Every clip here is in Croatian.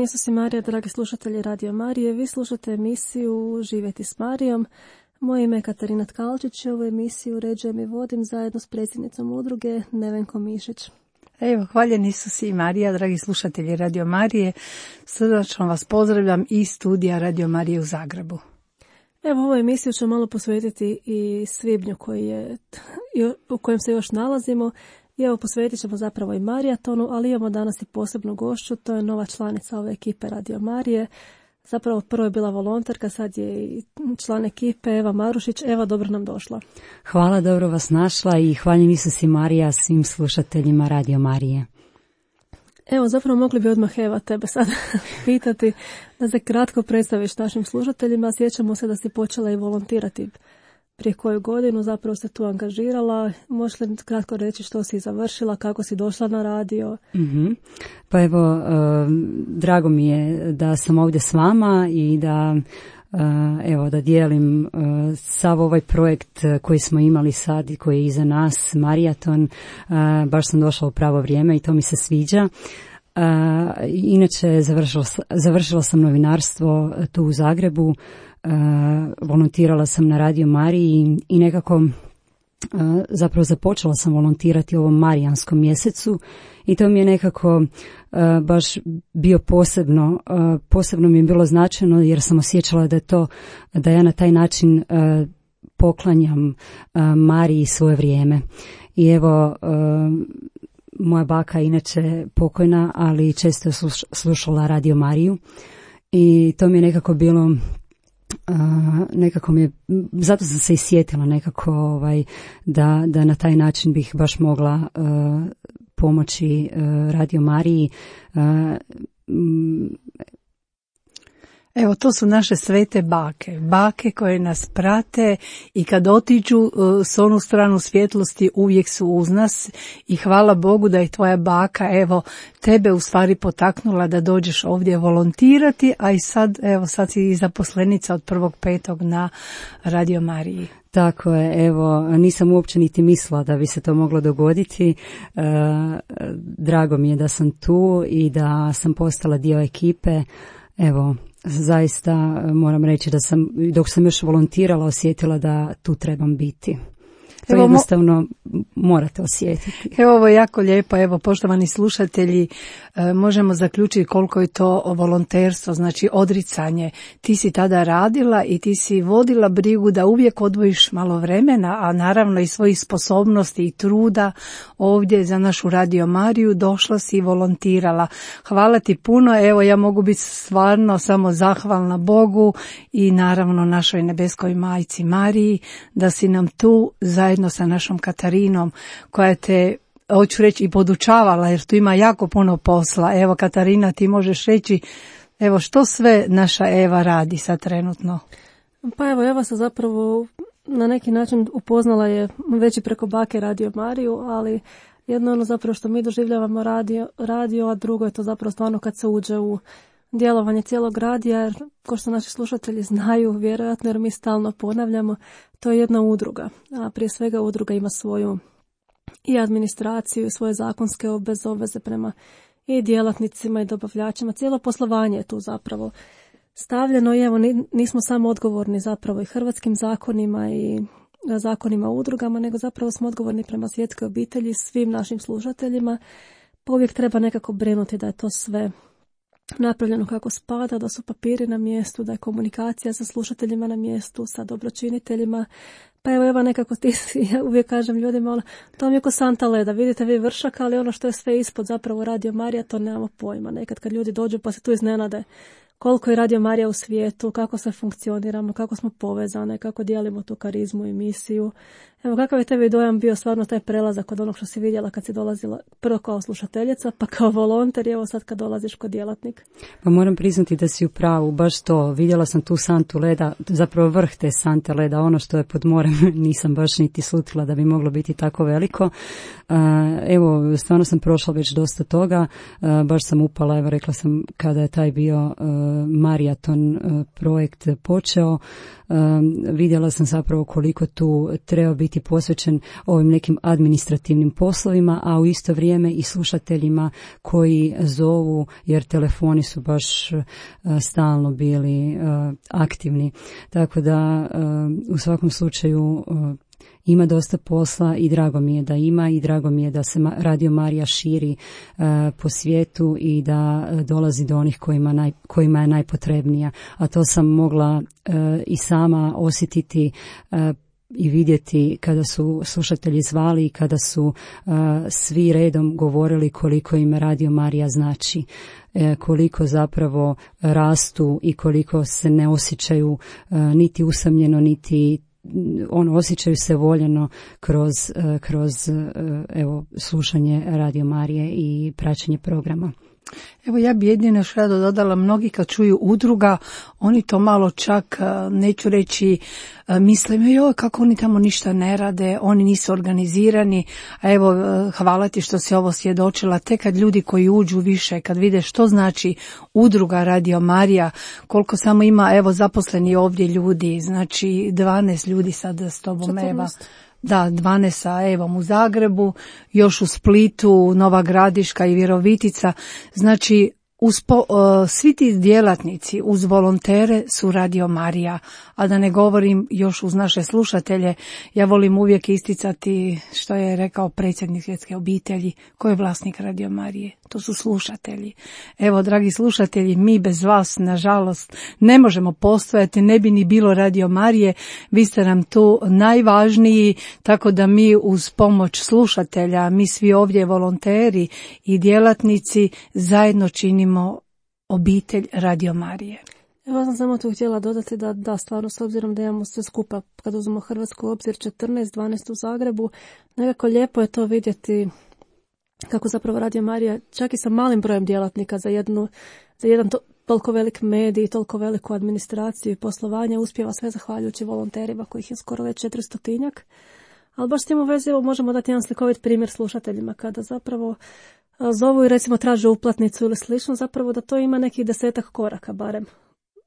Gospodin Isus i Marija, dragi slušatelji Radio Marije, vi slušate emisiju Živjeti s Marijom. Moje ime je Katarina Tkalčić i ovu emisiju uređujem i vodim zajedno s predsjednicom udruge Nevenkom Mišić. Evo, hvaljen Isus i Marija, dragi slušatelji Radio Marije, srdačno vas pozdravljam iz studija Radio Marije u Zagrebu. Evo, ovu emisiju ću malo posvetiti i svibnju u kojem se još nalazimo. I evo, posvetit ćemo zapravo i Marijatonu, ali imamo danas i posebnu gošću, to je nova članica ove ekipe Radio Marije. Zapravo prvo je bila volonterka, sad je i član ekipe Eva Marušić. Eva, dobro nam došla. Hvala, dobro vas našla i hvaljen Isus i Marija svim slušateljima Radio Marije. Evo, zapravo mogli bi odmah Eva tebe sad pitati da se kratko predstaviš našim slušateljima. Sjećamo se da si počela i volontirati prije koju godinu, zapravo se tu angažirala. Možeš li kratko reći što si završila, kako si došla na radio? Pa evo, drago mi je da sam ovdje s vama i da dijelim sav ovaj projekt koji smo imali sad i koji je iza nas, Marijaton. Baš sam došla u pravo vrijeme i to mi se sviđa. Inače, završila sam novinarstvo tu u Zagrebu. Volontirala sam na Radio Mariji i nekako zapravo započela sam volontirati u ovom Marijanskom mjesecu i to mi je nekako baš bio posebno mi je bilo značajno jer sam osjećala da ja na taj način poklanjam Mariji svoje vrijeme. I evo, moja baka inače pokojna, ali često je slušala Radio Mariju i to mi je nekako bilo zato sam se i sjetila nekako da na taj način bih baš mogla pomoći Radio Mariji. Evo, to su naše svete bake koje nas prate i kad otiđu s onu stranu svjetlosti uvijek su uz nas i hvala Bogu da je tvoja baka, evo, tebe u stvari potaknula da dođeš ovdje volontirati, a i sad si i zaposlenica od 1.5. na Radio Mariji. Tako je, evo, nisam uopće niti mislila da bi se to moglo dogoditi. Drago mi je da sam tu i da sam postala dio ekipe. Evo, zaista moram reći da sam, dok sam još volontirala, osjetila da tu trebam biti. To jednostavno morate osjetiti. Evo, ovo je jako lijepo. Evo, poštovani slušatelji, možemo zaključiti koliko je to volonterstvo, znači odricanje. Ti si tada radila i ti si vodila brigu da uvijek odvojiš malo vremena, a naravno i svojih sposobnosti i truda ovdje za našu Radio Mariju došla si i volontirala. Hvala ti puno. Evo, ja mogu biti stvarno samo zahvalna Bogu i naravno našoj nebeskoj majci Mariji da si nam tu zajedno sa našom Katarinom koja te, hoću reći, i podučavala jer tu ima jako puno posla. Evo, Katarina, ti možeš reći evo što sve naša Eva radi sad trenutno? Pa evo, Eva se zapravo na neki način upoznala je već i preko bake Radio Mariju, ali jedno ono zapravo što mi doživljavamo radio, a drugo je to zapravo stvarno kad se uđe u djelovanje cijelog radija, jer kao što naši slušatelji znaju, vjerojatno jer mi stalno ponavljamo, to je jedna udruga, a prije svega udruga ima svoju i administraciju, svoje zakonske obveze prema i djelatnicima i dobavljačima, cijelo poslovanje je tu zapravo stavljeno i evo nismo samo odgovorni zapravo i hrvatskim zakonima i zakonima o udrugama, nego zapravo smo odgovorni prema svjetskoj obitelji, svim našim slušateljima, pa uvijek treba nekako brinuti da je to sve napravljeno kako spada, da su papiri na mjestu, da je komunikacija sa slušateljima na mjestu, sa dobročiniteljima. Pa evo nekako ti si, ja uvijek kažem ljudima, to vam je ko santa leda, vidite vi vršak, ali ono što je sve ispod zapravo Radio Marija, to nemamo pojma. Nekad kad ljudi dođu pa se tu iznenade koliko je Radio Marija u svijetu, kako se funkcioniramo, kako smo povezane, kako dijelimo tu karizmu i misiju. Evo, kakav je tebi dojam bio stvarno taj prelazak od onog što si vidjela kad si dolazila prvo kao slušateljica, pa kao volonter i evo sad kad dolaziš kao djelatnik? Pa moram priznati da si u pravu, baš to. Vidjela sam tu santu leda, zapravo vrh te sante leda, ono što je pod morem, nisam baš niti slutila da bi moglo biti tako veliko. Evo, stvarno sam prošla već dosta toga, baš sam upala, evo rekla sam kada je taj bio Marijaton projekt počeo, vidjela sam zapravo koliko tu treba biti posvećen ovim nekim administrativnim poslovima, a u isto vrijeme i slušateljima koji zovu, jer telefoni su baš stalno bili aktivni. Tako da u svakom slučaju ima dosta posla i drago mi je da ima i drago mi je da se Radio Marija širi po svijetu i da dolazi do onih kojima je najpotrebnija. A to sam mogla i sama osjetiti i vidjeti kada su slušatelji zvali i kada su svi redom govorili koliko im Radio Marija znači, koliko zapravo rastu i koliko se ne osjećaju niti usamljeno, niti osjećaju se voljeno kroz evo, slušanje Radio Marije i praćenje programa. Evo ja bi jedino još rado dodala, mnogi kad čuju udruga, oni to malo čak, neću reći, misle, joj kako oni tamo ništa ne rade, oni nisu organizirani, a evo hvala ti što si ovo svjedočila, te kad ljudi koji uđu više, kad vide što znači udruga Radio Marija, koliko samo ima, evo zaposleni ovdje ljudi, znači 12 ljudi sad s tobom 14. Eva. Da, 12 sa Evom u Zagrebu, još u Splitu, Nova Gradiška i Virovitica. Znači, svi ti djelatnici uz volontere su Radio Marija, a da ne govorim još uz naše slušatelje, ja volim uvijek isticati što je rekao predsjednik Svjetske obitelji, ko je vlasnik Radio Marije, to su slušatelji. Evo, dragi slušatelji, mi bez vas, nažalost, ne možemo postojati, ne bi ni bilo Radio Marije, vi ste nam tu najvažniji, tako da mi uz pomoć slušatelja, mi svi ovdje volonteri i djelatnici zajedno činimo obitelj Radio Marije. Evo sam samo tu htjela dodati da stvarno s obzirom da imamo sve skupa, kad uzmemo Hrvatsku obzir 14-12 u Zagrebu, nekako lijepo je to vidjeti kako zapravo Radio Marija, čak i sa malim brojem djelatnika za jedan toliko velik medij, toliko veliku administraciju i poslovanje uspjeva sve zahvaljujući volonterima kojih je skoro već 400-tinjak. Ali baš s tim u vezi možemo dati jedan slikovit primjer slušateljima kada zapravo zovu i recimo traže uplatnicu ili slično, zapravo da to ima nekih 10 koraka barem.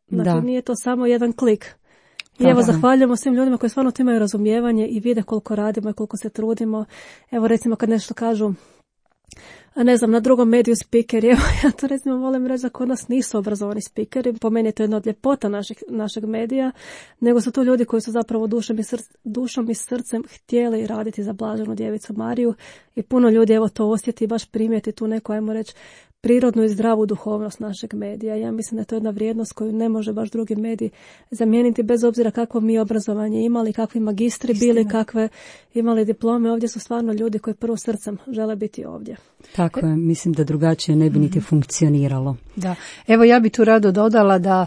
Znači nije to samo jedan klik. I evo zahvaljujemo svim ljudima koji stvarno imaju razumijevanje i vide koliko radimo i koliko se trudimo. Evo recimo kad nešto kažu, ne znam, na drugom mediju spikeri, evo ja to recimo volim reći da kod nas nisu obrazovani spikeri, po meni je to jedna od ljepota našeg medija, nego su to ljudi koji su zapravo dušom i srcem htjeli raditi za Blaženu Djevicu Mariju i puno ljudi evo to osjeti, baš primijeti tu neku, ajmo reći, prirodnu i zdravu duhovnost našeg medija. Ja mislim da je to jedna vrijednost koju ne može baš drugi mediji zamijeniti bez obzira kakvo mi obrazovanje imali, kakvi magistri bili, kakve imali diplome. Ovdje su stvarno ljudi koji prvo srcem žele biti ovdje. Tako je, mislim da drugačije ne bi niti funkcioniralo. Da, evo ja bi tu rado dodala da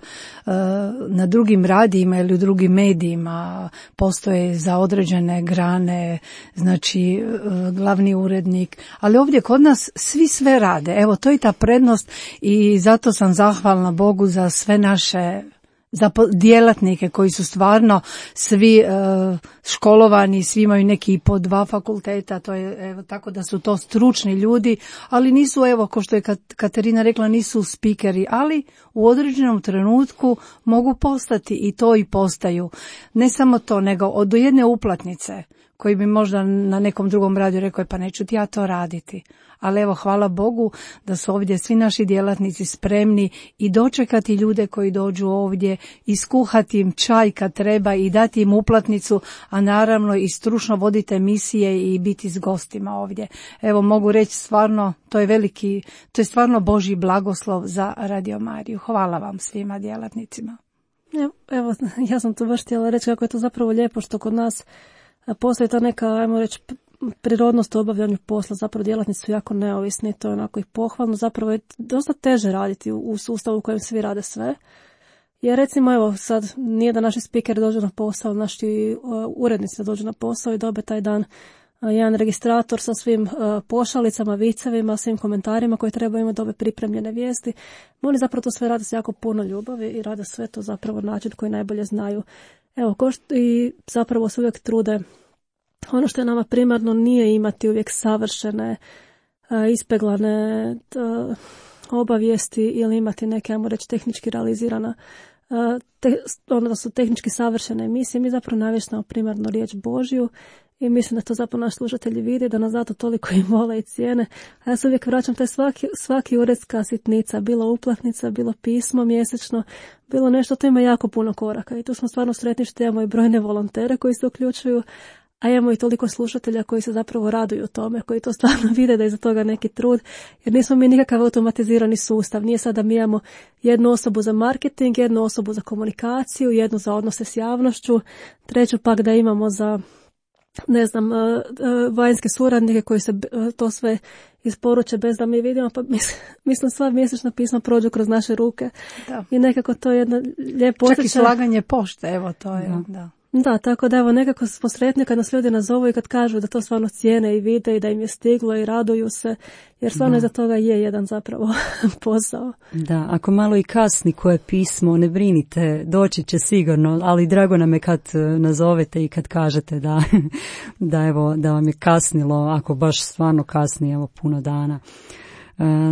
na drugim radijima ili u drugim medijima postoje za određene grane, znači glavni urednik, ali ovdje kod nas svi sve rade. Evo to je ta prednost i zato sam zahvalna Bogu za sve naše za djelatnike koji su stvarno svi školovani, svi imaju neki po 2 fakulteta, to je evo, tako da su to stručni ljudi, ali nisu, evo, ko što je Katarina rekla, nisu spikeri, ali u određenom trenutku mogu postati i to i postaju. Ne samo to, nego od jedne uplatnice koji bi možda na nekom drugom radiju rekao, pa neću ti ja to raditi. Ali evo, hvala Bogu da su ovdje svi naši djelatnici spremni i dočekati ljude koji dođu ovdje, iskuhati im čaj kad treba i dati im uplatnicu, a naravno i stručno voditi emisije i biti s gostima ovdje. Evo, mogu reći stvarno, to je stvarno Božji blagoslov za Radio Mariju. Hvala vam svima djelatnicima. Evo, ja sam tu baš htjela reći kako je to zapravo lijepo što kod nas postoji ta neka, ajmo reći, prirodnost u obavljanju posla, zapravo djelatnici su jako neovisni, to je onako i pohvalno, zapravo je dosta teže raditi u sustavu u kojem svi rade sve. Jer recimo, evo sad, nije da naši spikeri dođu na posao, naši urednici da dođu na posao i dobe taj dan jedan registrator sa svim pošalicama, vicevima, svim komentarima koji trebaju imati, dobe pripremljene vijesti. Oni zapravo to sve rade s jako puno ljubavi i rade sve to zapravo na način koji najbolje znaju. Evo, i zapravo se uvijek trude. Ono što je nama primarno nije imati uvijek savršene, ispeglane obavijesti ili imati neke, ajmo reći, tehnički realizirana da su tehnički savršene emisije, mi zapravo navještamo primarno riječ Božju i mislim da to zapravo naši slušatelji vide, da nas zato toliko i vole i cijene. A ja se uvijek vraćam, to je svaki uredska sitnica, bilo uplatnica, bilo pismo mjesečno, bilo nešto, to ima jako puno koraka i tu smo stvarno sretni što imamo i brojne volontere koji se uključuju, a imamo i toliko slušatelja koji se zapravo raduju tome, koji to stvarno vide da je za toga neki trud, jer nismo mi nikakav automatizirani sustav. Nije sad da mi imamo jednu osobu za marketing, jednu osobu za komunikaciju, jednu za odnose s javnošću, treću pak da imamo za, ne znam, vanjske suradnike koji se to sve isporuče bez da mi vidimo, pa mislim sva mjesečna pisma prođu kroz naše ruke. Da. I nekako to je jedna lijepo osjećaj. Čak i slaganje pošte, evo to je, da. Da, tako da evo nekako smo sretni kad nas ljudi nazovu i kad kažu da to stvarno cijene i vide i da im je stiglo i raduju se, jer stvarno iza toga je jedan zapravo posao. Da, ako malo i kasni koje pismo, ne brinite, doći će sigurno, ali drago nam je kad nazovete i kad kažete da vam je kasnilo, ako baš stvarno kasni, evo puno dana.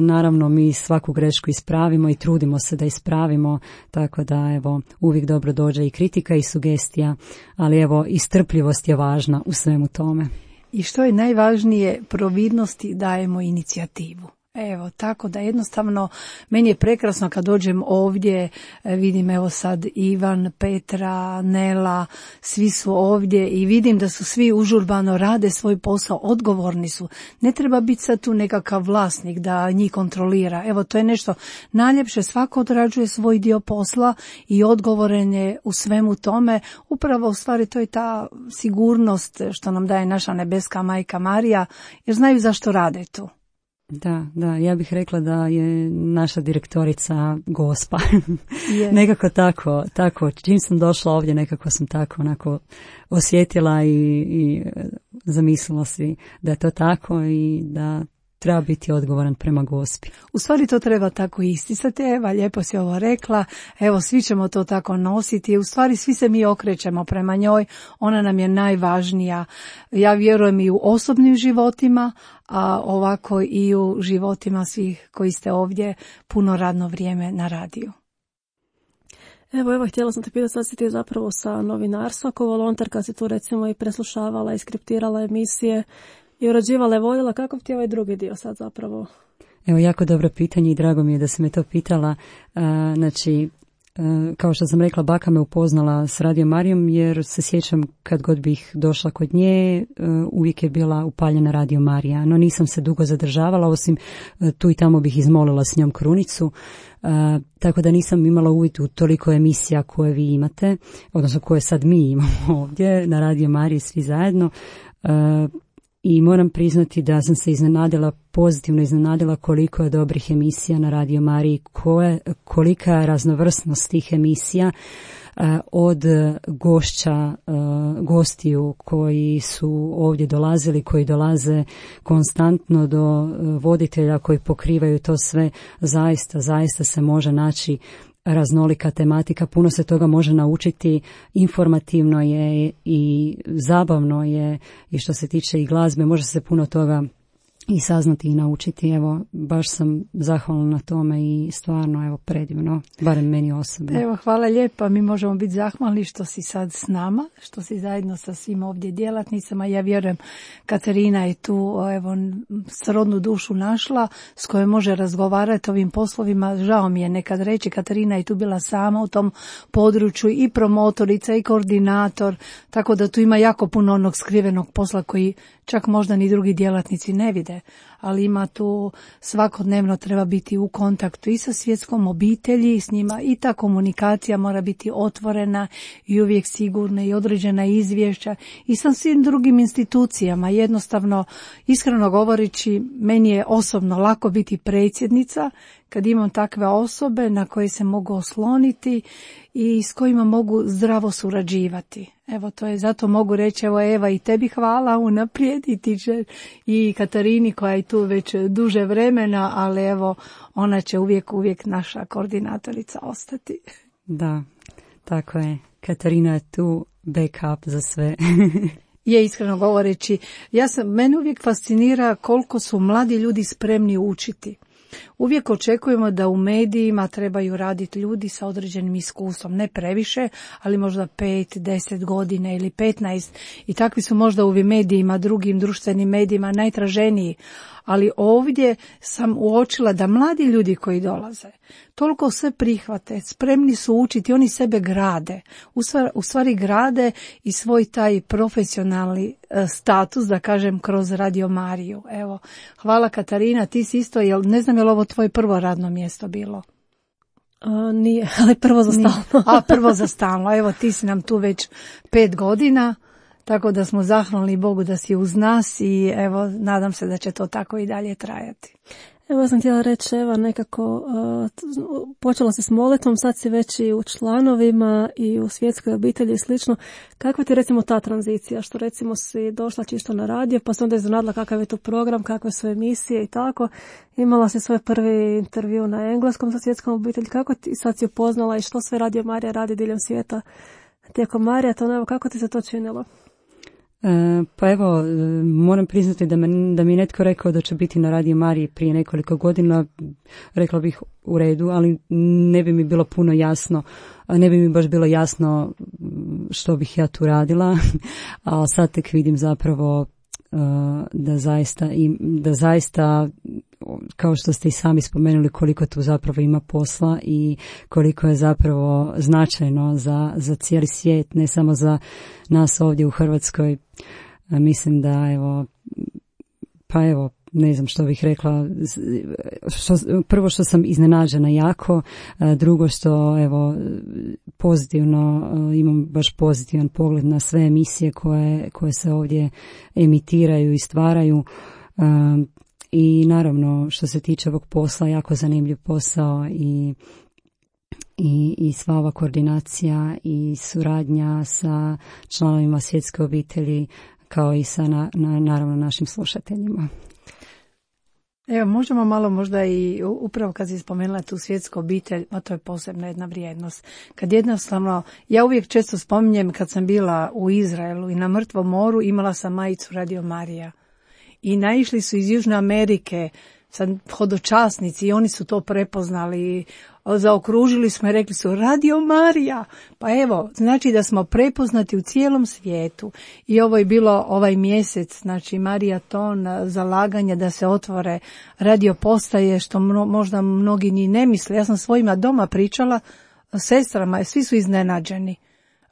Naravno, mi svaku grešku ispravimo i trudimo se da ispravimo, tako da evo uvijek dobro dođe i kritika i sugestija, ali evo i strpljivost je važna u svemu tome. I što je najvažnije, providnosti dajemo inicijativu. Evo, tako da jednostavno meni je prekrasno kad dođem ovdje, vidim evo sad Ivan, Petra, Nela, svi su ovdje i vidim da su svi užurbano, rade svoj posao, odgovorni su. Ne treba biti sad tu nekakav vlasnik da njih kontrolira. Evo, to je nešto najljepše, svako odrađuje svoj dio posla i odgovoren je u svemu tome. Upravo u stvari to je ta sigurnost što nam daje naša nebeska majka Marija, jer znaju zašto rade tu. Da, ja bih rekla da je naša direktorica Gospa. Nekako tako, čim sam došla ovdje, nekako sam tako onako osjetila i zamislila si da je to tako i da treba biti odgovoran prema Gospi. U stvari to treba tako isticati, Eva, lijepo si ovo rekla, evo svi ćemo to tako nositi, u stvari svi se mi okrećemo prema njoj, ona nam je najvažnija. Ja vjerujem i u osobnim životima, a ovako i u životima svih koji ste ovdje puno radno vrijeme na radiju. Evo, htjela sam te pitati, sad si ti zapravo sa novinarstva, kao volonterka si tu recimo i preslušavala i skriptirala emisije i urađivala je, voljela, kako ti je ovaj drugi dio sad zapravo? Evo, jako dobro pitanje i drago mi je da si me to pitala. Znači, kao što sam rekla, baka me upoznala s Radio Marijom jer se sjećam kad god bih došla kod nje, uvijek je bila upaljena Radio Marija, no nisam se dugo zadržavala, osim tu i tamo bih izmolila s njom krunicu, tako da nisam imala uvid u toliko emisija koje vi imate, odnosno koje sad mi imamo ovdje na Radio Mariji svi zajedno. I moram priznati da sam se pozitivno iznenadila koliko je dobrih emisija na Radio Mariji, kolika je raznovrsnost tih emisija od gostiju koji su ovdje dolazili, koji dolaze konstantno do voditelja koji pokrivaju to sve. Zaista se može naći raznolika tematika, puno se toga može naučiti, informativno je i zabavno je i što se tiče i glazbe, može se puno toga i saznati i naučiti. Evo, baš sam zahvalna na tome i stvarno, evo, predivno, barem meni osobno. Evo, hvala lijepa, mi možemo biti zahvalni što si sad s nama, što si zajedno sa svim ovdje djelatnicama. Ja vjerujem, Katarina je tu, evo, srodnu dušu našla s kojom može razgovarati o ovim poslovima. Žao mi je nekad reći, Katarina je tu bila sama u tom području i promotorica i koordinator, tako da tu ima jako puno onog skrivenog posla koji čak možda ni drugi djelatnici ne vide, ali ima tu svakodnevno treba biti u kontaktu i sa svjetskom obitelji, s njima i ta komunikacija mora biti otvorena i uvijek sigurna i određena izvješća i sa svim drugim institucijama. Jednostavno, iskreno govoreći, meni je osobno lako biti predsjednica kad imam takve osobe na koje se mogu osloniti i s kojima mogu zdravo surađivati. Evo, to je, zato mogu reći, evo, Eva, i tebi hvala unaprijed i Katarini koja je tu već duže vremena, ali evo, ona će uvijek naša koordinatorica ostati. Da, tako je. Katarina je tu backup za sve. Je, iskreno govoreći, mene uvijek fascinira koliko su mladi ljudi spremni učiti. Uvijek očekujemo da u medijima trebaju raditi ljudi sa određenim iskustvom, ne previše, ali možda 5, 10 godina ili 15 i takvi su možda u medijima, drugim društvenim medijima najtraženiji. Ali ovdje sam uočila da mladi ljudi koji dolaze toliko sve prihvate, spremni su učiti, oni sebe grade, u stvari grade i svoj taj profesionalni status, da kažem, kroz Radio Mariju. Evo, hvala Katarina, ti si isto, ne znam je li ovo tvoje prvo radno mjesto bilo? Nije, ali prvo za stalno. Prvo za stalno, evo ti si nam tu već 5 godina. Tako da smo zahvalni Bogu da si uz nas i evo, nadam se da će to tako i dalje trajati. Evo, ja sam htjela reći, Eva, nekako počela si s molitvom, sad si već i u članovima i u svjetskoj obitelji i slično. Kakva ti recimo ta tranzicija, što recimo si došla čisto na radio, pa se onda iznenadila kakav je to program, kakve su emisije i tako. Imala si svoj prvi intervju na engleskom sa svjetskom obitelji. Kako ti sad si upoznala i što sve Radio Marija radi diljem svijeta tijekom maratona? Evo, kako ti se to činilo? Pa evo, moram priznati da mi je netko rekao da će biti na Radio Mariji prije nekoliko godina, rekla bih u redu, ali ne bi mi bilo puno jasno, ne bi mi baš bilo jasno što bih ja tu radila, a sad tek vidim zapravo da zaista kao što ste i sami spomenuli koliko tu zapravo ima posla i koliko je zapravo značajno za cijeli svijet, ne samo za nas ovdje u Hrvatskoj. Mislim da ne znam što bih rekla, prvo što sam iznenađena jako, drugo što pozitivno, imam baš pozitivan pogled na sve emisije koje se ovdje emitiraju i stvaraju. I naravno što se tiče ovog posla, jako zanimljiv posao i sva ova koordinacija i suradnja sa članovima svjetske obitelji kao i sa naravno našim slušateljima. Evo, možemo malo možda i upravo kad si spomenula tu svjetsku obitelj, a to je posebna jedna vrijednost. Kad jednostavno, ja uvijek često spominjem kad sam bila u Izraelu i na Mrtvom moru, imala sam majicu Radio Marija. I naišli su iz Južne Amerike hodočasnici i oni su to prepoznali, zaokružili smo i rekli su Radio Marija. Pa evo, znači da smo prepoznati u cijelom svijetu i ovo je bilo ovaj mjesec, znači Marijaton, zalaganje da se otvore radio postaje, što možda mnogi ni ne misle. Ja sam svojima doma pričala, sestrama, svi su iznenađeni.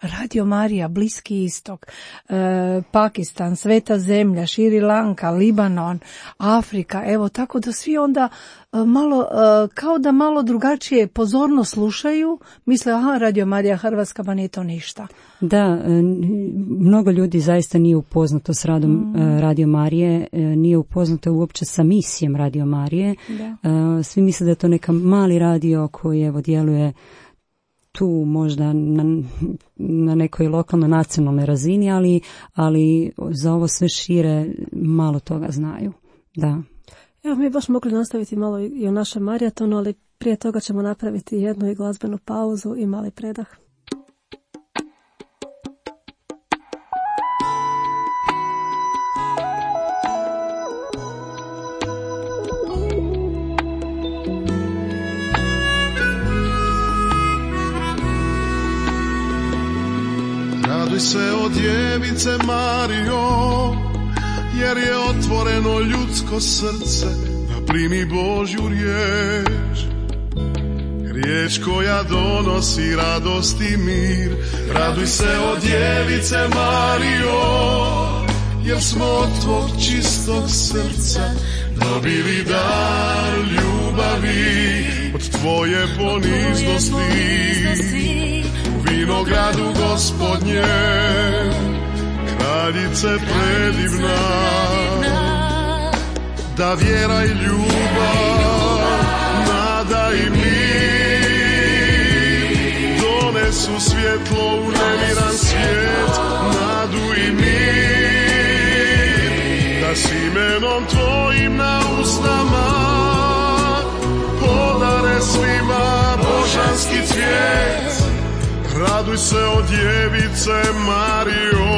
Radio Marija, Bliski istok, Pakistan, Sveta zemlja, Šri Lanka, Libanon, Afrika, evo tako da svi onda malo, kao da malo drugačije pozorno slušaju, misle Radio Marija Hrvatska, pa nije to ništa. Da, mnogo ljudi zaista nije upoznato s radom Radio Marije, nije upoznato uopće sa misijom Radio Marije. Svi misle da je to neka mali radio koji djeluje tu možda na nekoj lokalno nacionalnoj razini, ali za ovo sve šire malo toga znaju. Da. Evo, mi baš mogli nastaviti malo i o našem maratonu, ali prije toga ćemo napraviti jednu i glazbenu pauzu i mali predah. Raduj se o djevice Marijo, jer je otvoreno ljudsko srce da primi Božju riječ. Riječ koja donosi radost i mir. Raduj se o djevice Marijo, jer smo od tvog čistog srca dobili dar ljubavi. Od tvoje poniznosti u vinogradu Gospodnje, kraljice predivna, da vjera i ljubav, nada i mir donesu svjetlo u nemiran svijet, nadu i mir, da s imenom tvojim na usnama podare svima božanski cvijet. Raduj se o djevice Marijo.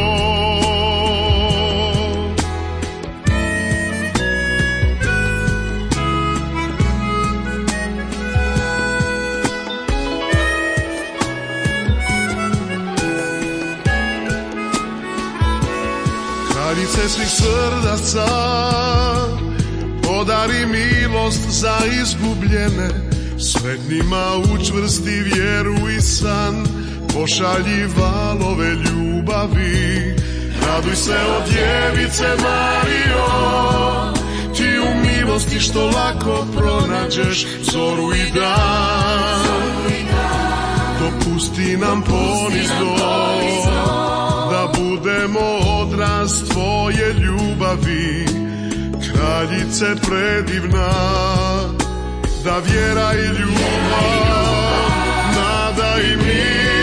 ime svih srdaca, podari milost za izgubljene, sretnima učvrsti vjeru i san, pošalji valove ljubavi. Raduj se o djevice Marijo, ti u milosti što lako pronađeš zoru i dan. Dopusti nam ponizno da budemo odraz tvoje ljubavi, kraljice predivna, da vjera i ljubav, nada i mir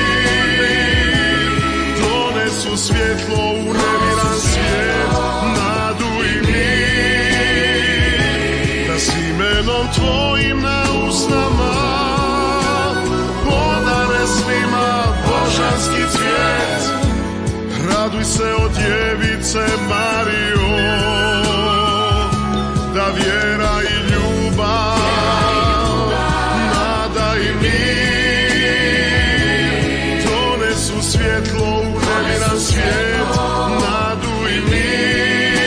donesu svjetlo u nemiran svijet, nadu i mir, da s imenom tvojim na usnama podare svima božanski cvijet. Raduj se o djevice Marijo, da vjera i ljubav, nada i mir donesu svjetlo u nemiran svijet, nadu i mir,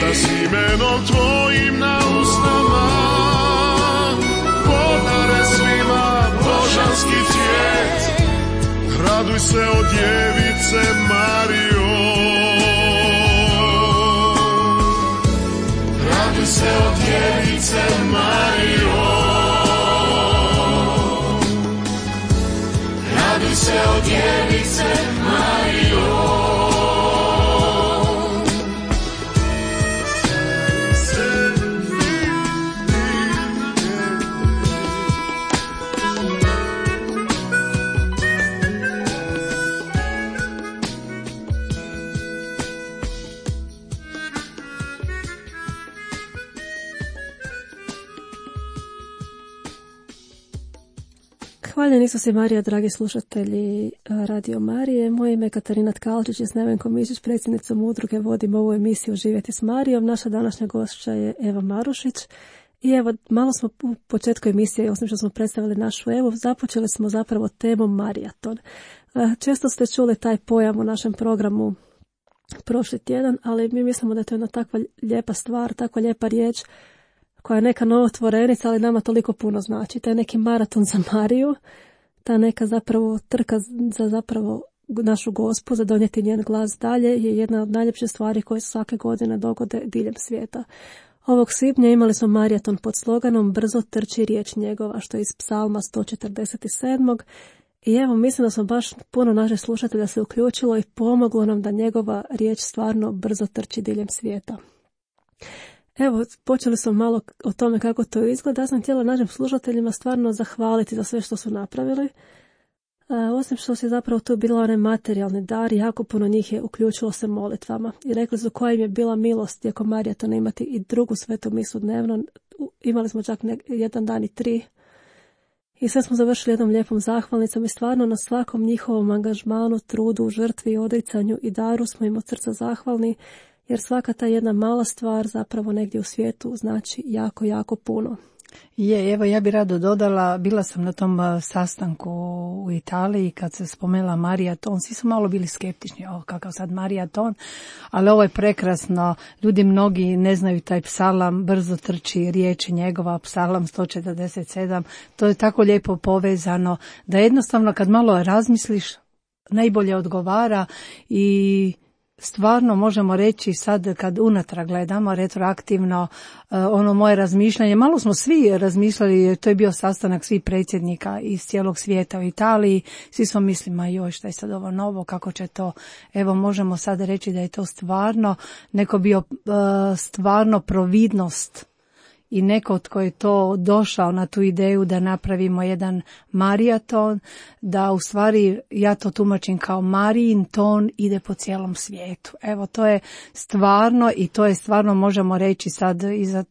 da s imenom tvojim na usnama podare svima božanski cvijet. Raduj se o djevice Marijo, raduj se o djevice Marijo, raduj se o djevice Marijo. Hvaljen Isus i Marija, dragi slušatelji Radio Marije. Moje ime je Katarina Tkalčić i s Nevenkom Mišić, predsjednicom udruge, vodimo ovu emisiju Živjeti s Marijom. Naša današnja gošća je Eva Marušić. I evo, malo smo u početku emisije, osim što smo predstavili našu Evu, započeli smo zapravo temom Marijaton. Često ste čuli taj pojam u našem programu prošli tjedan, ali mi mislimo da je to jedna takva lijepa stvar, takva lijepa riječ, koja je neka novotvorenica, ali nama toliko puno znači. To je neki maraton za Mariju, ta neka zapravo trka za zapravo našu Gospu, za donijeti njen glas dalje, je jedna od najljepših stvari koje se svake godine dogode diljem svijeta. Ovog svibnja imali smo maraton pod sloganom Brzo trči riječ njegova, što je iz psalma 147. I evo, mislim da smo baš puno naših slušatelja se uključilo i pomoglo nam da njegova riječ stvarno brzo trči diljem svijeta. Evo, počeli smo malo o tome kako to izgleda. Ja sam htjela našim slušateljima stvarno zahvaliti za sve što su napravili. Osim što se zapravo tu bila onaj materijalni dar, jako puno njih je uključilo se molitvama. I rekli su koja im je bila milost tijekom maratona imati i drugu svetu misu dnevno. Imali smo čak jedan dan i 3. I sve smo završili jednom lijepom zahvalnicom i stvarno na svakom njihovom angažmanu, trudu, žrtvi, odricanju i daru smo im od srca zahvalni. Jer svaka ta jedna mala stvar zapravo negdje u svijetu znači jako, jako puno. Evo ja bih rado dodala, bila sam na tom sastanku u Italiji kad se spomenula maraton, svi su malo bili skeptični, kakav sad maraton, ali ovo je prekrasno, ljudi mnogi ne znaju taj psalam, brzo trči riječi njegova, psalam 147, to je tako lijepo povezano da jednostavno kad malo razmisliš najbolje odgovara i stvarno možemo reći sad kad unatrag gledamo retroaktivno ono moje razmišljanje, malo smo svi razmišljali, to je bio sastanak svih predsjednika iz cijelog svijeta u Italiji, svi smo mislili, joj šta je sad ovo novo, kako će to, evo možemo sad reći da je to stvarno neko bio stvarno providnost i neko tko je to došao na tu ideju da napravimo jedan maraton, da u stvari ja to tumačim kao Marijin ton ide po cijelom svijetu. Evo to je stvarno i to je stvarno možemo reći sad,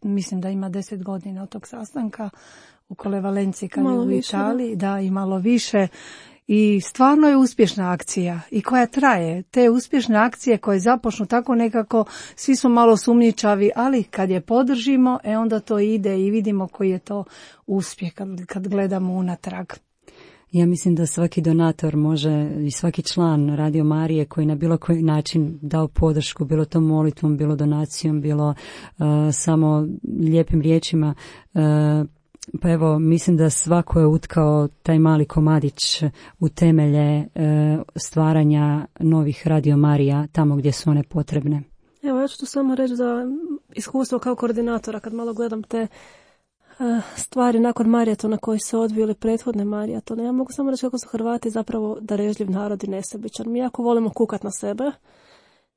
mislim da ima 10 godina od tog sastanka u Kolevalenciji kad je u Italiji, da i malo više. I stvarno je uspješna akcija i koja traje. Te uspješne akcije koje započnu tako nekako, svi su malo sumnjičavi, ali kad je podržimo, onda to ide i vidimo koji je to uspjeh kad gledamo unatrag. Ja mislim da svaki donator može i svaki član Radio Marije koji na bilo koji način dao podršku, bilo to molitvom, bilo donacijom, bilo samo lijepim riječima, pa evo, mislim da svako je utkao taj mali komadić u temelje stvaranja novih Radio Marija tamo gdje su one potrebne. Evo, ja ću tu samo reći za iskustvo kao koordinatora, kad malo gledam te stvari nakon marijatona koji se odvijeli prethodne marijatone. Ja mogu samo reći kako su Hrvati zapravo darežljiv narod i nesebičan. Mi jako volimo kukat na sebe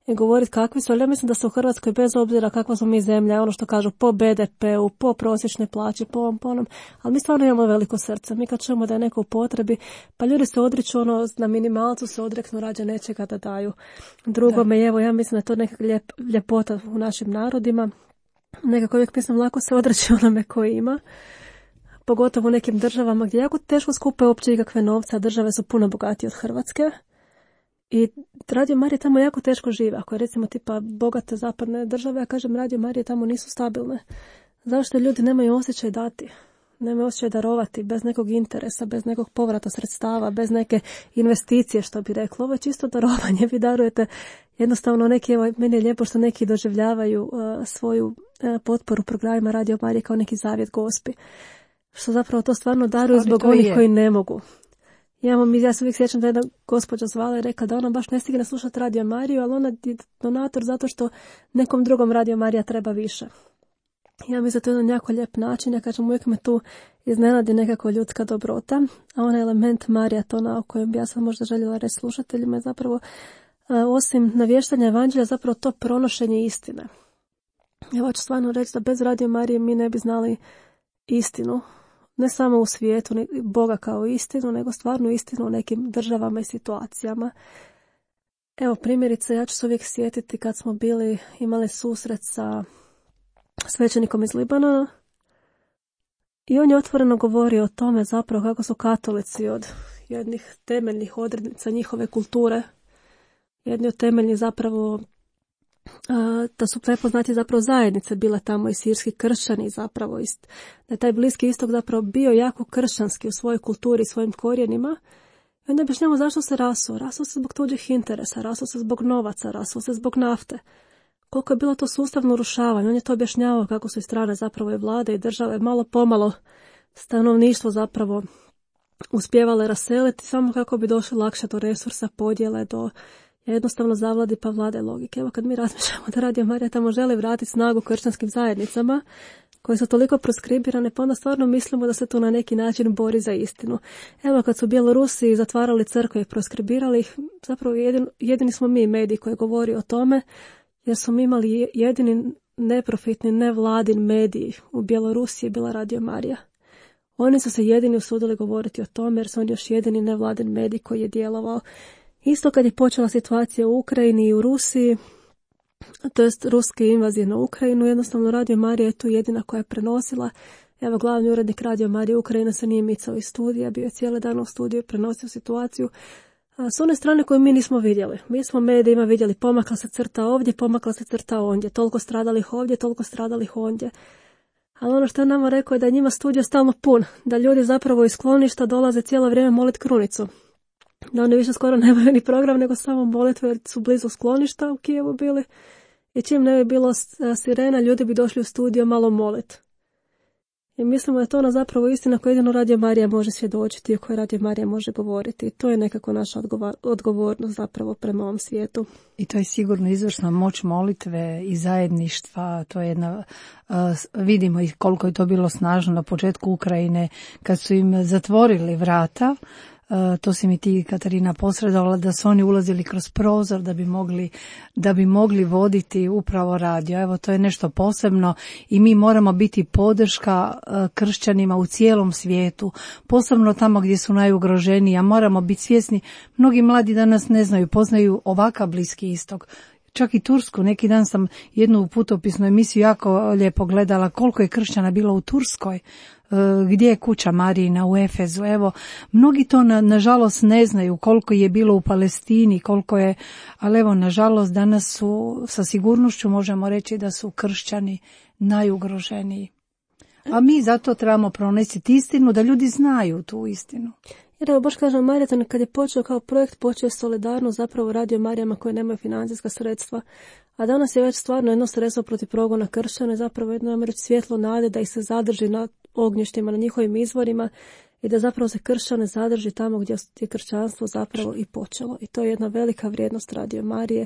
i govoriti kakvi su, ali ja mislim da se u Hrvatskoj bez obzira kakva smo mi zemlja, ono što kažu po BDP-u, po prosječnoj plaći, po ovom, ali mi stvarno imamo veliko srce. Mi kad čujemo da je neko u potrebi, pa ljudi se odriču, na minimalcu se odreknu rađe nečega da daju drugome. Evo, ja mislim da je to neka ljepota u našim narodima. Nekako uvijek mislim lako se odreći onome koji ima, pogotovo u nekim državama gdje jako teško skupe uopće ikakve novce, a države su puno bogatije od Hrvatske. I Radio Marija tamo jako teško žive. Ako je recimo tipa bogate zapadne države, ja kažem Radio Marije tamo nisu stabilne. Zašto ljudi nemaju osjećaj dati? Nemaju osjećaj darovati bez nekog interesa, bez nekog povrata sredstava, bez neke investicije, što bi reklo. Ovo je čisto darovanje. Vi darujete jednostavno neki, evo, meni je lijepo što neki doživljavaju svoju potporu programima Radio Marije kao neki zavjet Gospi. Što zapravo to stvarno daruju zbog onih koji ne mogu. Ja se uvijek sjećam da jedna gospođa zvala i rekla da ona baš ne stigne slušati Radio Mariju, ali ona je donator zato što nekom drugom Radio Marija treba više. Ja mislim da to je jedan jako lijep način. Ja kažem, uvijek me tu iznenadi nekako ljudska dobrota, a onaj element marijatona o kojem bi ja sad možda željela reći slušateljima je zapravo, osim navještanja evanđelja, zapravo to pronošenje istine. Ja hoću stvarno reći da bez Radio Marije mi ne bi znali istinu. Ne samo u svijetu, Boga kao istinu, nego stvarno istinu u nekim državama i situacijama. Evo primjerice, ja ću se uvijek sjetiti kad smo imali susret sa svećenikom iz Libanona i on je otvoreno govorio o tome zapravo kako su katolici od jednih temeljnih odrednica njihove kulture, jedni od temeljnih zapravo da su prepoznati zapravo zajednice bile tamo i sirski kršćani zapravo, da je taj Bliski istok zapravo bio jako kršćanski u svojoj kulturi i svojim korijenima. I onda objašnjamo zašto se rasuo. Rasuo se zbog tuđih interesa, rasuo se zbog novaca, rasuo se zbog nafte. Koliko je bilo to sustavno urušavanje. On je to objašnjavao kako su i strane zapravo i vlade i države malo pomalo stanovništvo zapravo uspjevale raseliti samo kako bi došli lakše do resursa, podjele, do jednostavno zavladi pa vlade logike. Evo kad mi razmišljamo da Radio Marija tamo želi vratiti snagu kršćanskim zajednicama koje su toliko proskribirane, pa onda stvarno mislimo da se to na neki način bori za istinu. Evo kad su Bjelorusi zatvarali crkve i proskribirali ih, zapravo jedini smo mi mediji koji govori o tome, jer smo imali jedini neprofitni, nevladin medij u Bjelorusiji je bila Radio Marija. Oni su se jedini usudili govoriti o tome jer su oni još jedini nevladin medij koji je djelovao. Isto kad je počela situacija u Ukrajini i u Rusiji, to jest ruske invazije na Ukrajinu, jednostavno Radio Marija je tu jedina koja je prenosila. Evo, glavni urednik Radio Marije Ukrajina se nije micao iz studija, bio je cijeli dan u studiju, prenosio situaciju s one strane koju mi nismo vidjeli. Mi smo medijima vidjeli, pomakla se crta ovdje, pomakla se crta ondje, toliko stradalih ovdje, toliko stradalih ondje. Ali ono što je nama rekao je da je njima studio stalno pun, da ljudi zapravo iz skloništa dolaze cijelo vrijeme moliti krunicu. Da oni više skoro nemaju ni program, nego samo molitve jer su blizu skloništa u Kijevu bili. I čim ne bi bilo sirena, ljudi bi došli u studio malo moliti. I mislimo da je to ona zapravo istina koju jedino Radio Marija može svjedočiti i o kojoj Radio Marija može govoriti. I to je nekako naša odgovornost zapravo prema ovom svijetu. I to je sigurno izvršna moć molitve i zajedništva. To je jedna, vidimo i koliko je to bilo snažno na početku Ukrajine kad su im zatvorili vrata. To si mi ti, Katarina, posredovala da su oni ulazili kroz prozor da bi mogli voditi upravo radio. Evo, to je nešto posebno i mi moramo biti podrška kršćanima u cijelom svijetu, posebno tamo gdje su najugroženiji, a moramo biti svjesni, mnogi mladi danas ne znaju, poznaju ovakav Bliski istok. Čak i Tursku, neki dan sam jednu u putopisnu emisiju jako lijepo gledala koliko je kršćana bilo u Turskoj, gdje je kuća Marijina u Efezu. Evo, mnogi to nažalost ne znaju koliko je bilo u Palestini, koliko je, ali evo, nažalost danas su, sa sigurnošću možemo reći da su kršćani najugroženiji. A mi zato trebamo pronesiti istinu, da ljudi znaju tu istinu. Jer evo, baš kažem, Maraton kad je počeo kao projekt, počeo je solidarno zapravo Radio Marijama koje nemaju financijska sredstva. A danas je već stvarno jedno sredstvo protiv progona kršćana, zapravo jedno svjetlo nade da ih se zadrži na ognjištima, na njihovim izvorima i da zapravo se kršćane zadrži tamo gdje je kršćanstvo zapravo i počelo. I to je jedna velika vrijednost Radio Marije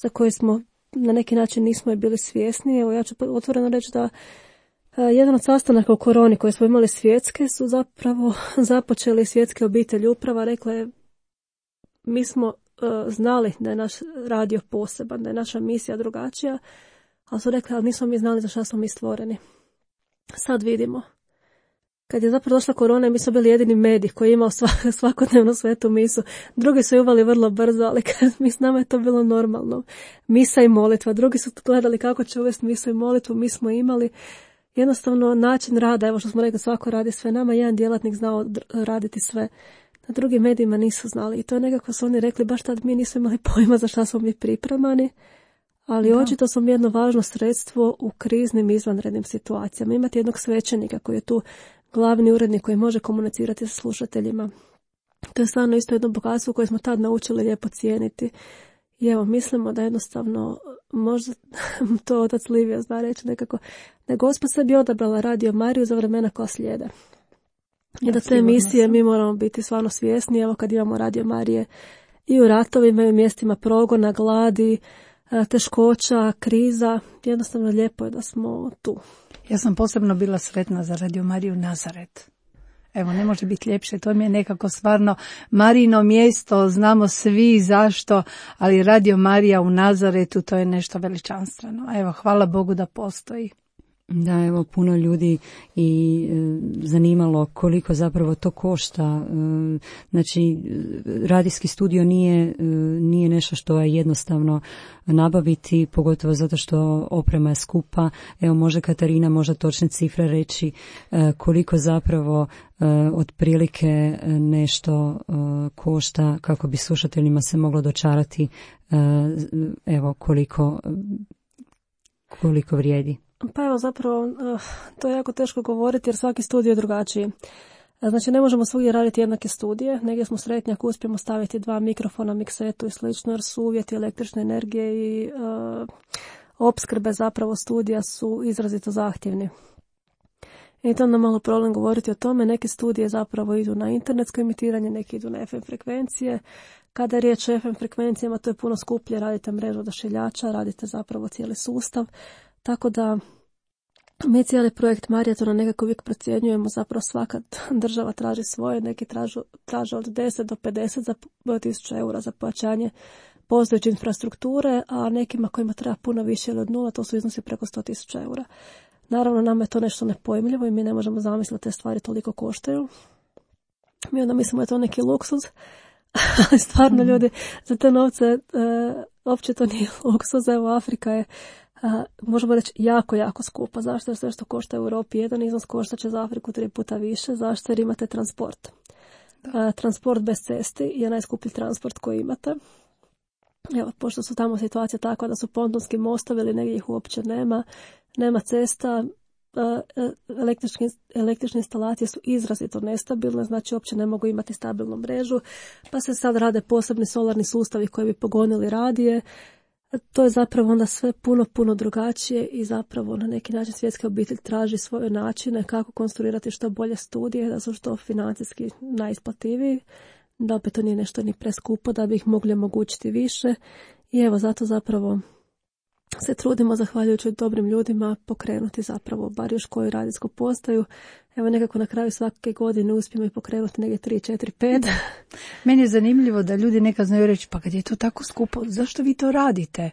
za koju smo na neki način nismo je bili svjesni. Evo, ja ću otvoreno reći da jedan od sastanaka u koroni koje smo imali svjetske su zapravo započeli svjetske obitelji uprava. Rekla je, mi smo znali da je naš radio poseban, da je naša misija drugačija, ali su rekli, ali nismo mi znali za šta smo mi stvoreni. Sad vidimo. Kad je zapravo došla korona, mi smo bili jedini medij koji je imao svakodnevno svetu misu. Drugi su uvali vrlo brzo, ali mi s nama je to bilo normalno. Misa i molitva. Drugi su gledali kako će uvesti misu i molitvu. Mi smo imali jednostavno način rada. Evo što smo rekli, svako radi sve. Nama jedan djelatnik znao raditi sve. Na drugim medijima nisu znali. I to je nekako su oni rekli, baš tad mi nismo imali pojma za šta smo mi pripremani. Ali očito smo jedno važno sredstvo u kriznim izvanrednim situacijama. Imati jednog svećenika koji je tu glavni urednik koji može komunicirati sa slušateljima. To je stvarno isto jedno bogatstvo koje smo tad naučili lijepo cijeniti. I evo, mislimo da jednostavno, možda to otac Livio zna reći nekako, da je Gospod sebi odabrala Radio Mariju za vremena koja slijede. I da te emisije mi moramo biti stvarno svjesni. Evo kad imamo Radio Marije i u ratovima i u mjestima progona, gladi, teškoća, kriza, jednostavno lijepo je da smo tu. Ja sam posebno bila sretna za Radio Mariju Nazaret. Evo, ne može biti ljepše, to mi je nekako stvarno Marijino mjesto, znamo svi zašto, ali Radio Marija u Nazaretu, to je nešto veličanstveno. Evo, hvala Bogu da postoji. Da, evo, puno ljudi i zanimalo koliko zapravo to košta. Znači, radijski studio nije nešto što je jednostavno nabaviti, pogotovo zato što oprema je skupa. Evo, može Katarina možda točne cifre reći koliko zapravo otprilike nešto košta kako bi slušateljima se moglo dočarati evo koliko vrijedi. Pa evo zapravo to je jako teško govoriti jer svaki studio je drugačiji. Znači ne možemo svugdje raditi jednake studije, negdje smo sretni ako uspijemo staviti 2 mikrofona, miksetu i slično jer su uvjeti električne energije i opskrbe zapravo studija su izrazito zahtjevni. I to je onda malo problem govoriti o tome. Neke studije zapravo idu na internetsko emitiranje, neki idu na FM frekvencije. Kada je riječ o FM frekvencijama to je puno skuplje, radite mrežu odašiljača, radite zapravo cijeli sustav. Tako da mi cijeli projekt Marijatona nekako uvijek procjenjujemo, zapravo svaka država traži svoje, neki traže od 10 do 50 tisuća eura za pojačanje postojeće infrastrukture, a nekima kojima treba puno više ili od 0, to su iznosi preko 100.000 eura. Naravno, nama je to nešto nepojmljivo i mi ne možemo zamisliti da te stvari toliko koštaju. Mi onda mislimo da je to neki luksuz, ali stvarno ljudi za te novce uopće to nije luksuz. Evo, Afrika je možemo reći jako, jako skupa. Zašto? Jer sve što košta u Europi jedan iznos košta će za Afriku 3 puta više. Zašto? Jer imate transport. Transport bez cesti je najskuplji transport koji imate. Evo, pošto su tamo situacija takva da su pontonski mostovi ili negdje ih uopće nema cesta, električne instalacije su izrazito nestabilne, znači uopće ne mogu imati stabilnu mrežu, pa se sad rade posebni solarni sustavi koji bi pogonili radije. To je zapravo onda sve puno drugačije i zapravo na neki način svjetska obitelj traži svoje načine kako konstruirati što bolje studije, da su što financijski najisplativiji, da opet to nije nešto ni preskupo, da bi ih mogli omogućiti više. I evo, zato zapravo se trudimo, zahvaljujući dobrim ljudima, pokrenuti zapravo bar još koju radijsku postaju. Evo, nekako na kraju svake godine uspijemo i pokrenuti negdje 3, 4, 5. Meni je zanimljivo da ljudi nekad znaju reći, pa kad je to tako skupo, zašto vi to radite?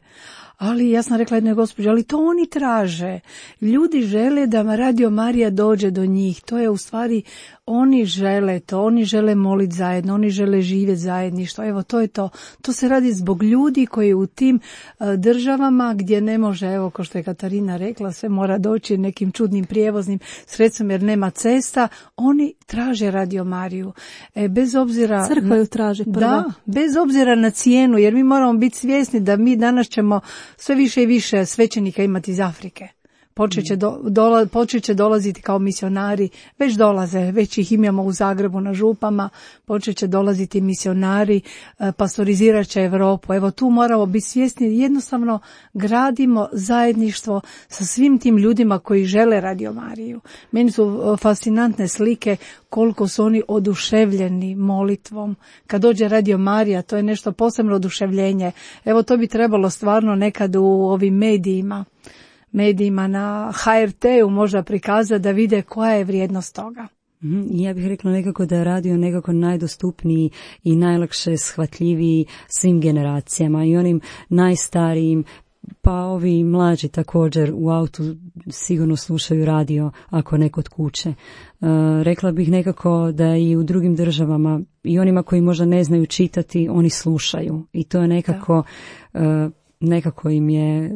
Ali ja sam rekla jednoj gospođi, ali to oni traže. Ljudi žele da Radio Marija dođe do njih. To je u stvari, oni žele to, oni žele moliti zajedno, oni žele živjeti zajedništvo. Evo, to je to. To se radi zbog ljudi koji u tim državama gdje ne može, evo, kao što je Katarina rekla, sve mora doći nekim čudnim prijevoznim sredstvom jer nema cesta, oni traže Radio Mariju. Bez obzira... Crkva ju traži prvo. Da, bez obzira na cijenu, jer mi moramo biti svjesni da mi danas ćemo sve više i više svećenika imati iz Afrike. počet će dolaziti kao misionari, već dolaze, već ih imamo u Zagrebu na župama, počet će dolaziti misionari, pastorizirat će Europu. Evo tu moramo biti svjesni, jednostavno gradimo zajedništvo sa svim tim ljudima koji žele Radio Mariju. Meni su fascinantne slike koliko su oni oduševljeni molitvom. Kad dođe Radio Marija, to je nešto posebno oduševljenje. Evo to bi trebalo stvarno nekad u ovim medijima na HRT-u možda prikazati da vide koja je vrijednost toga. Ja bih rekla nekako da je radio nekako najdostupniji i najlakše shvatljiviji svim generacijama i onim najstarijim, pa ovi mlađi također u autu sigurno slušaju radio ako ne kod kuće. Rekla bih nekako da i u drugim državama i onima koji možda ne znaju čitati, oni slušaju i to je nekako im je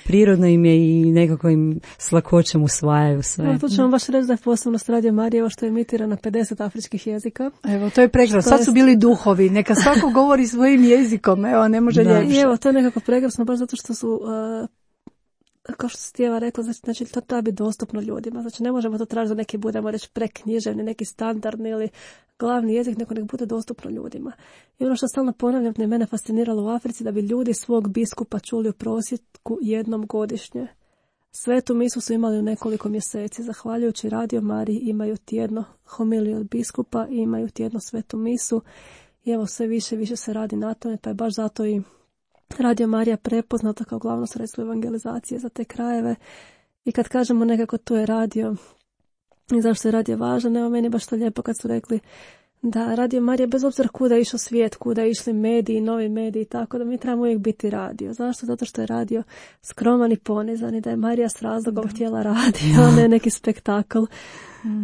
prirodno im je i nekako im s lakoćem usvajaju sve. To ćemo baš reći da je posebnost Radio Marije što je emitira na 50 afričkih jezika. Evo, to je prekrasno. Sad su bili duhovi, neka svako govori svojim jezikom, evo, ne može ljepše. I evo, to je nekako prekrasno, baš zato što su, kao što si Tijeva rekla, znači to treba biti dostupno ljudima. Znači ne možemo to tražiti da neki budemo reći preknjiževni, neki standardni ili glavni jezik, nek bude dostupno ljudima. I ono što stalno ponavljam, mene fasciniralo u Africi, da bi ljudi svog biskupa čuli u prosjeku jednom godišnje. Svetu misu su imali u nekoliko mjeseci. Zahvaljujući Radio Mariji imaju tjedno homiliju od biskupa i imaju tjedno svetu misu. I evo sve više se radi na tome, pa je baš zato i Radio Marija prepoznata kao glavno sredstvo evangelizacije za te krajeve. I kad kažemo nekako to je radio i zašto je radio važan, evo meni baš to lijepo kad su rekli da Radio Marija, bez obzira kuda je išao svijet, kuda je išli mediji, novi mediji, tako da mi trebamo uvijek biti radio. Zašto? Zato što je radio skroman i ponizan i da je Marija s razlogom htjela radio, a ne neki spektakl.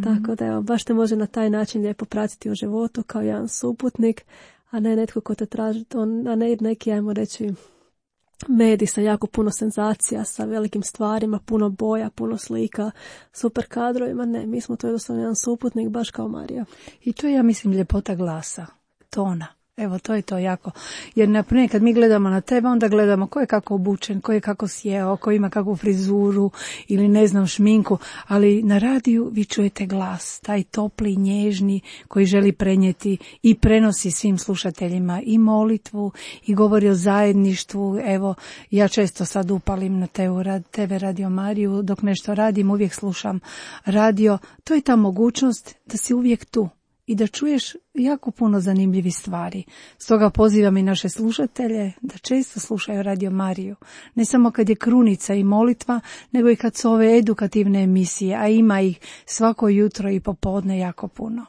Tako da evo, baš te može na taj način lijepo pratiti u životu kao jedan suputnik, a ne netko ko te traži, a ne neki, ajmo reći, medij sa jako puno senzacija, sa velikim stvarima, puno boja, puno slika, super kadrovima. Ne, mi smo to jednostavno jedan suputnik, baš kao Marija. I to je, ja mislim, ljepota glasa, tona. Evo, to je to jako. Jer, naprimjer, kad mi gledamo na tebe, onda gledamo ko je kako obučen, ko je kako sjeo, ko ima kakvu frizuru ili ne znam šminku, ali na radiju vi čujete glas, taj topli, nježni, koji želi prenijeti i prenosi svim slušateljima i molitvu i govori o zajedništvu. Evo, ja često sad upalim na TV Radio Mariju, dok nešto radim, uvijek slušam radio. To je ta mogućnost da si uvijek tu i da čuješ jako puno zanimljivih stvari. Stoga pozivam i naše slušatelje da često slušaju Radio Mariju. Ne samo kad je krunica i molitva, nego i kad su ove edukativne emisije, a ima ih svako jutro i popodne jako puno.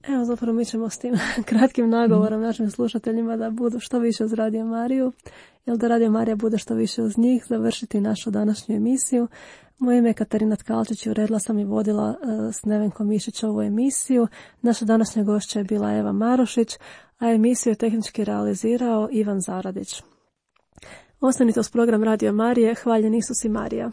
Evo, zapravo mi ćemo s tim kratkim nagovorom našim slušateljima da budu što više uz Radio Mariju, jer da Radio Marija bude što više uz njih, završiti našu današnju emisiju. Moje ime je Katarina Tkalčić i uredila sam i vodila s Nevenkom Mišić ovu emisiju. Naša današnja gošća je bila Eva Marušić, a emisiju je tehnički realizirao Ivan Zaradić. Ostanite uz program Radio Marije. Hvaljen Isus i Marija.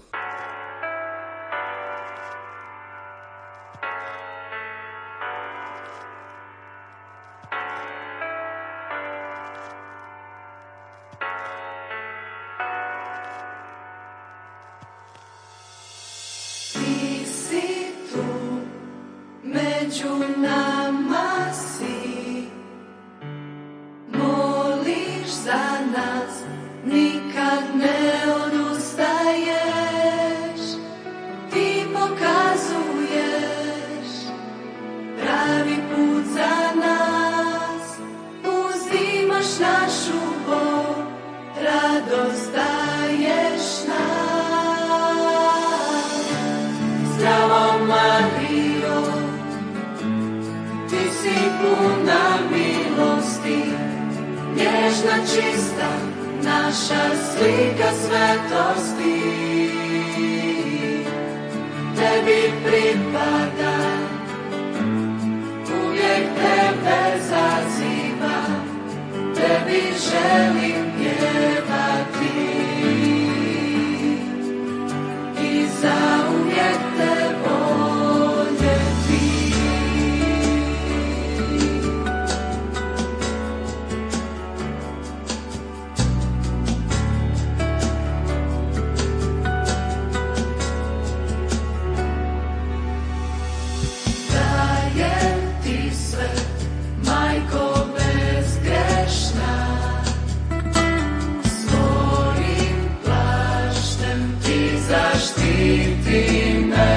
zaštiti me.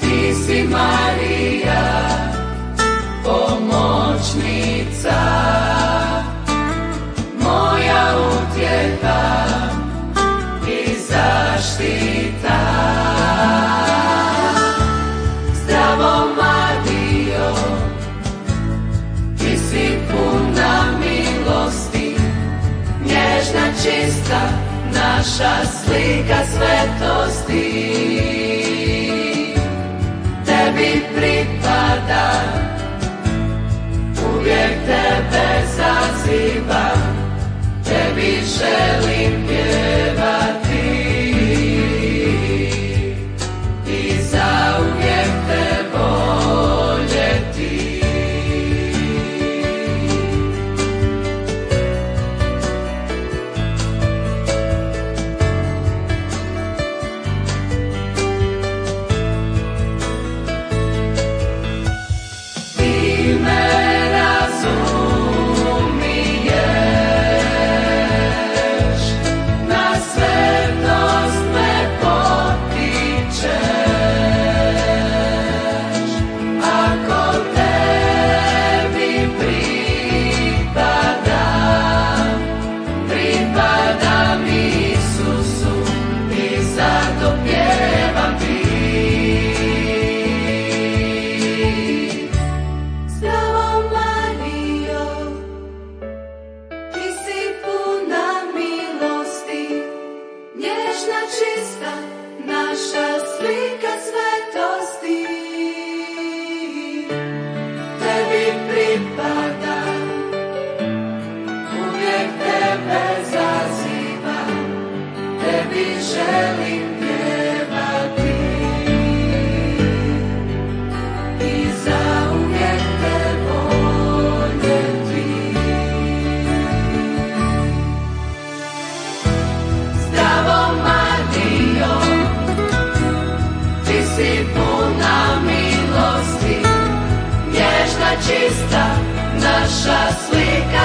Ti si Marija, pomoćnica, moja utjeha i zaštita. Zdravo Marijo, ti si puna milosti, nježna, čista, naša slika svetosti. Tebi pripada, uvijek tebe zazivam, tebi želim pjevati i zauvijek te voljeti. Čista naša slika